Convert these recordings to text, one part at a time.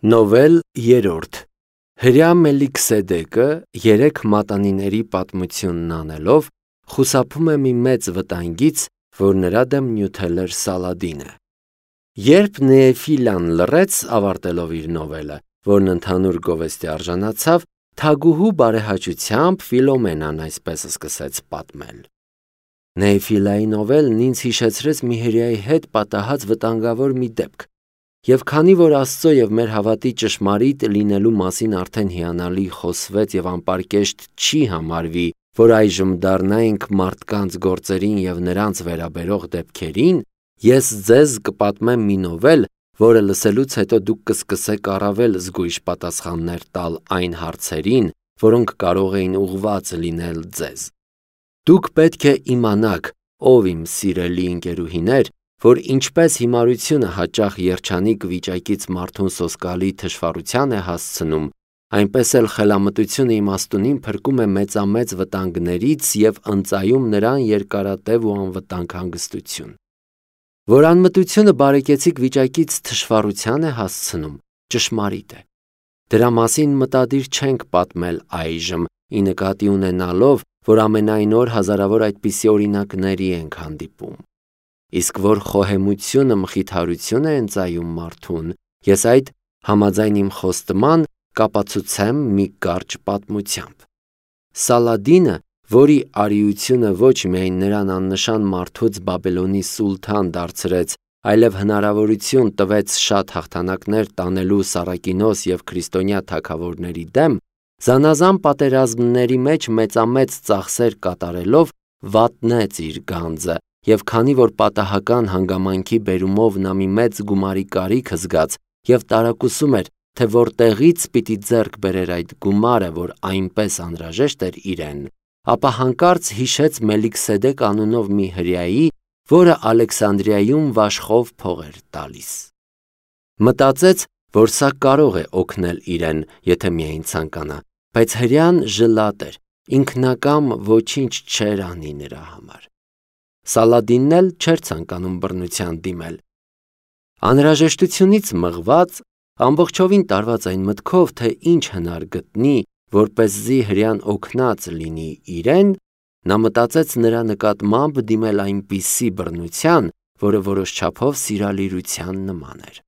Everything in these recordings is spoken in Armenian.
Նովել 3 Հրյա Մելիքսեդեկը երեք մատանիների պատմությունն անելով խուսափում է մի մեծ վտանգից, որ նրա դեմ նյութել էր Սալադինը։ Երբ Նեեֆիլան լռեց, ավարտելով իր նովելը, որն ընդհանուր գովեստի արժանացավ, թագուհու բարեհաճությամբ Ֆիլոմենան այսպես սկսեց պատմել. Նեեֆիլայի նովելն ինձ հիշեցրեց մի հրեայի հետ պատահած վտանգավոր մի դեպք, և քանի որ Աստծո և մեր հավատի ճշմարիտ լինելու մասին արդեն հիանալի խոսվեց և անպարկեշտ չի համարվի, որ այժմ դառնայինք մարդկանց գործերին և նրանց վերաբերող դեպքերին, ես ձեզ կպատմեմ մի նովել, որը լսելուց հետո դուք կսկսեք առավել զգույշ պատասխաններ տալ այն հարցերին, որոնք կարող էին ուղղված լինել ձեզ։ Դուք պետք է իմանաք, ով իմ սիրելի ընկերուհիներ, որ ինչպես հիմարությունը հաճախ երջանիկ վիճակից մարդուն սոսկալի թշվառության է հասցնում, այնպես էլ խելամտությունը իմաստունին փրկում է մեծամեծ վտանգներից և ընծայում նրան երկարատև ու անվտանգ հանգստություն։ Որ անմտությունը բարեկեցիկ վիճակից թշվառության է հասցնում, ճշմարիտ է։ Դրա մասին մտադիր չենք պատմել այժմ, ի նկատի ունենալով, որ ամենայն օր հազարավոր այդպիսի օրինակների ենք հանդիպում։ Իսկ որ խոհեմությունը մխիթարություն է ընծայում մարդուն, ես այդ համաձայն իմ խոստման կապացուցեմ մի կարճ պատմությամբ։ Սալադինը, որի արիությունը ոչ միայն նրան աննշան մարդուց Բաբելոնի սուլթան դարձրեց, այլև հնարավորություն տվեց շատ հաղթանակներ տանելու Սարակինոս և քրիստոնյա թագավորների դեմ, զանազան պատերազմների մեջ մեծամեծ ծախսեր կատարելով վատնեց իր գանձը, և քանի որ պատահական հանգամանքի բերումով նա մի մեծ գումարի կարիք զգաց և տարակուսում էր, թե որտեղից պիտի ձեռք բերեր այդ գումարը, որ այնպես անհրաժեշտ էր իրեն, ապա հանկարծ հիշեց Մելիքսեդեկ անունով մի հրեայի, որը Ալեքսանդրիայում վաշխով փող էր տալիս։ Մտածեց, որ սա կարող է օգնել իրեն, եթե միայն ցանկանա, բայց հրեան ժլատ էր, ինքնակամ ոչինչ չէր անի նրա համար։ Սալադինն էլ չէր ցանկանում բռնության դիմել։ Անհրաժեշտությունից մղված, ամբողջովին տարված այն մտքով, թե ինչ հնար գտնի, որպեսզի հրեան օգնած լինի իրեն, նա մտածեց նրա նկատմամբ դիմել այնպիսի բռնության, որը որոշ չափով սիրալիրության նման էր։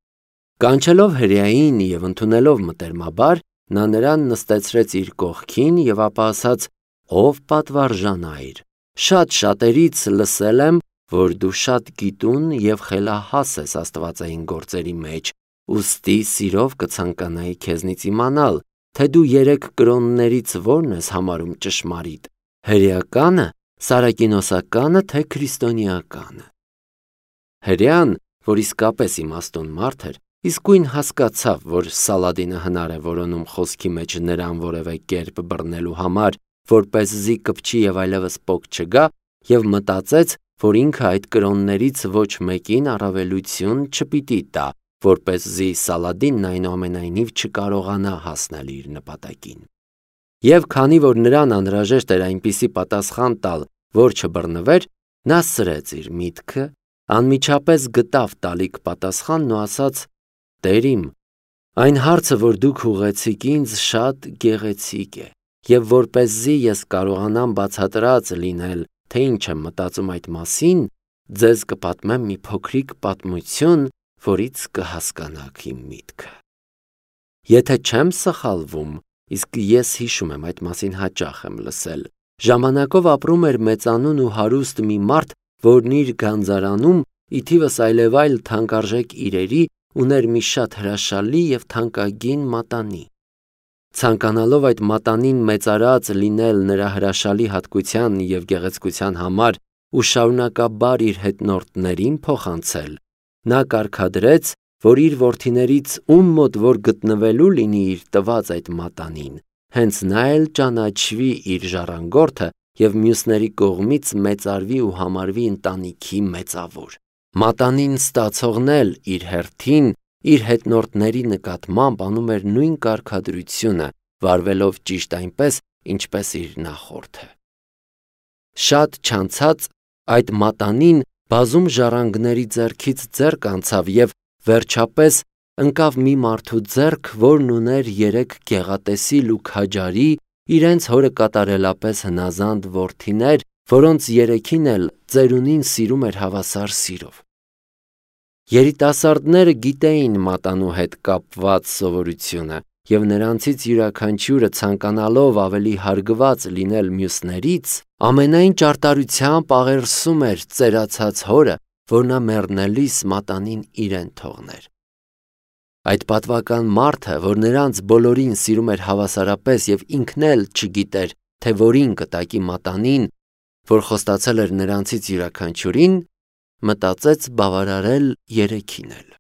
Կանչելով հրեային և ընդունելով մտերմաբար, նա նրան նստեցրեց իր կողքին և ապա ասաց. «Ով պատվարժանայր, շատ շատերից լսել եմ, որ դու շատ գիտուն և խելահաս ես աստվածային գործերի մեջ, ուստի սիրով կցանկանայի քեզնից իմանալ, թե դու երեք կրոններից որն ես համարում ճշմարիտ, հրեականը, սարակինոսականը, թե քրիստոնեականը»։ Հրեան, որ իսկապես իմաստուն մարդ էր, իսկույն հասկացավ, որ Սալադինը հնար է որոնում խոսքի մեջ նրան որևէ կերպ բռնելու համար, որպեսզի կպչի և այլևս պոկ չգա, և մտածեց, որ ինքը այդ կրոններից ոչ մեկին առավելություն չպիտի տա, որպեսզի Սալադինն այնուամենայնիվ չկարողանա հասնել իր նպատակին։ Եվ քանի որ նրան անհրաժեշտ էր այնպիսի պատասխան տալ, որ չբռնվեր, նա սրեց իր միտքը, անմիջապես գտավ տալիք պատասխանն ու ասաց. «Տեր իմ, այն հարցը, որ դուք ուղղեցիք ինձ, շատ գեղեցիկ է, և որպեսզի ես կարողանամ բացատրած լինել, թե ինչ եմ մտածում այդ մասին, ձեզ կպատմեմ մի փոքրիկ պատմություն, որից կհասկանաք իմ միտքը։ Եթե չեմ սխալվում, իսկ ես հիշում եմ այդ մասին հաճախ եմ լսել, ժամանակով ապրում էր մեծանուն ու հարուստ մի մարդ, որն իր գանձարանում, ի թիվս այլևայլ թանկարժեք իրերի, ուներ մի շատ հրաշալի և թանկագին մատանի։ Ցանկանալով այդ մատանին մեծարած լինել նրա հրաշալի հատկության և գեղեցկության համար ու շարունակաբար իր հետնորդներին փոխանցել, նա կարգադրեց, որ իր որդիներից ում մոտ որ գտնվելու լինի իր տված այդ մատանին, հենց նա էլ ճանաչվի իր ժառանգորդը և մյուսների կողմից մեծարվի ու համարվի ընտանիքի մեծավոր։ Մատանին ստացողն էլ իր հերթին իր հետնորդների նկատմամբ անում էր նույն կարգադրությունը, վարվելով ճիշտ այնպես, ինչպես իր նախորդը։ Շատ չանցած այդ մատանին բազում ժառանգների ձեռքից ձեռք անցավ և վերջապես ընկավ մի մարդու ձեռք, որն ուներ 3 գեղատեսիլ ու քաջարի, իրենց հորը կատարելապես հնազանդ որդիներ, որոնց 3-ին էլ ծերունին սիրում էր հավասար սիրով։ Երիտասարդները գիտեին մատանու հետ կապված սովորությունը, և նրանցից յուրաքանչյուրը ցանկանալով ավելի հարգված լինել մյուսներից, ամենայն ճարտարությամբ աղերսում էր ծերացած հորը, որ նա մեռնելիս մատանին իրեն թողներ։ Այդ պատվական մարդը, որ նրանց բոլորին սիրում էր հավասարապես և ինքն էլ չգիտեր, թե որին կտակի մատանին, որ խոստացել էր նրանցից յուրաքանչյուրին, մտածեց բավարարել 3-ին էլ։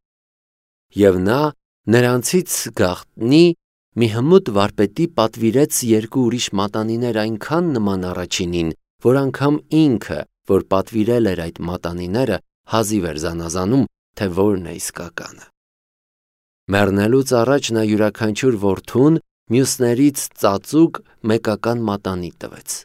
Եվ նա նրանցից գաղտնի մի հմուտ վարպետի պատվիրեց 2 ուրիշ մատանիներ այնքան նման առաջինին, որ անգամ ինքը, որ պատվիրել էր այդ մատանիները, հազիվ էր զանազանում, թե որն է իսկականը։ Մեռնելուց առաջ նա յուրաքանչյուր որդուն մյուսներից ծածուկ մեկական մատանի տվեց։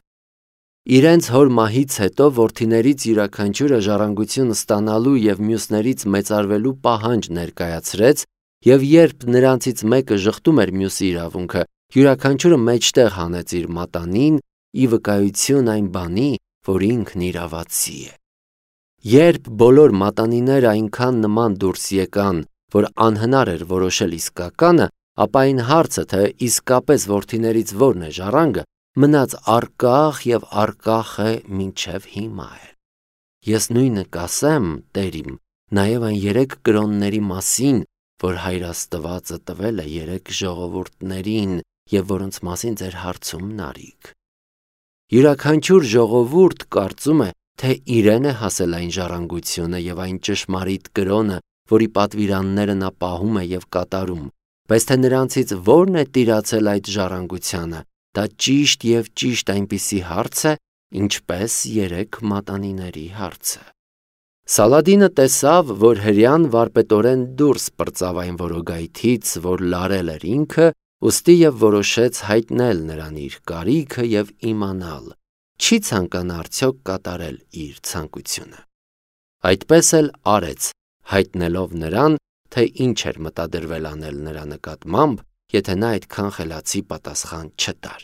Իրենց հոր մահից հետո որդիներից յուրաքանչյուրը ժառանգություն ստանալու և մյուսներից մեծարվելու պահանջ ներկայացրեց, և երբ նրանցից մեկը ժխտում էր մյուսի իրավունքը, յուրաքանչյուրը մեջտեղ հանեց իր մատանին, ի վկայություն այն բանի, որ ինքն իրավացի է։ Երբ բոլոր մատանիները այնքան նման դուրս եկան, որ անհնար էր որոշել իսկականը, ապա այն հարցը, թե իսկապես որդիներից որն է ժառանգը, մնաց առկախ և առկախ է մինչև հիմա էլ։ Ես նույնը կասեմ, Տեր իմ, նաև այն 3 կրոնների մասին, որ Հայր Աստվածը տվել է 3 ժողովուրդներին և որոնց մասին ձեր հարցումն արիք։ Յուրաքանչյուր ժողովուրդ կարծում է, թե իրեն է հասել այն ժառանգությունը և այն ճշմարիտ կրոնը, որի պատվիրանները նա պահում է և կատարում, բայց թե նրանցից որն է տիրացել այդ ժառանգությանը, դա ճիշտ և ճիշտ այնպիսի հարց է, ինչպես 3 մատանիների հարցը։ Սալադինը տեսավ, որ հրեան վարպետորեն դուրս պրծավ այն որոգայթից, որ լարել էր ինքը, ուստի և որոշեց հայտնել նրան իր կարիքը և իմանալ, չի ցանկանա արդյոք կատարել իր ցանկությունը։ Այդպես էլ արեց, հայտնելով նրան, թե ինչ էր մտադրվել անել նրա նկատմամբ, եթե նա այդքան խելացի պատասխան չտար։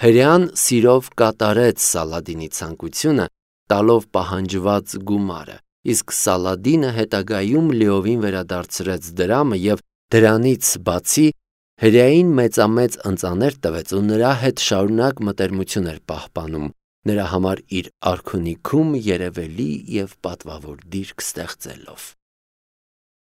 Հրեան սիրով կատարեց Սալադինի ցանկությունը, տալով պահանջված գումարը, իսկ Սալադինը հետագայում լիովին վերադարձրեց դրամը և դրանից բացի հրեային մեծամեծ ընծաներ տվեց ու նրա հետ շարունակ մտերմություն էր պահպանում, նրա համար իր արքունիքում երևելի և պատվավոր դիրք ստեղծելով։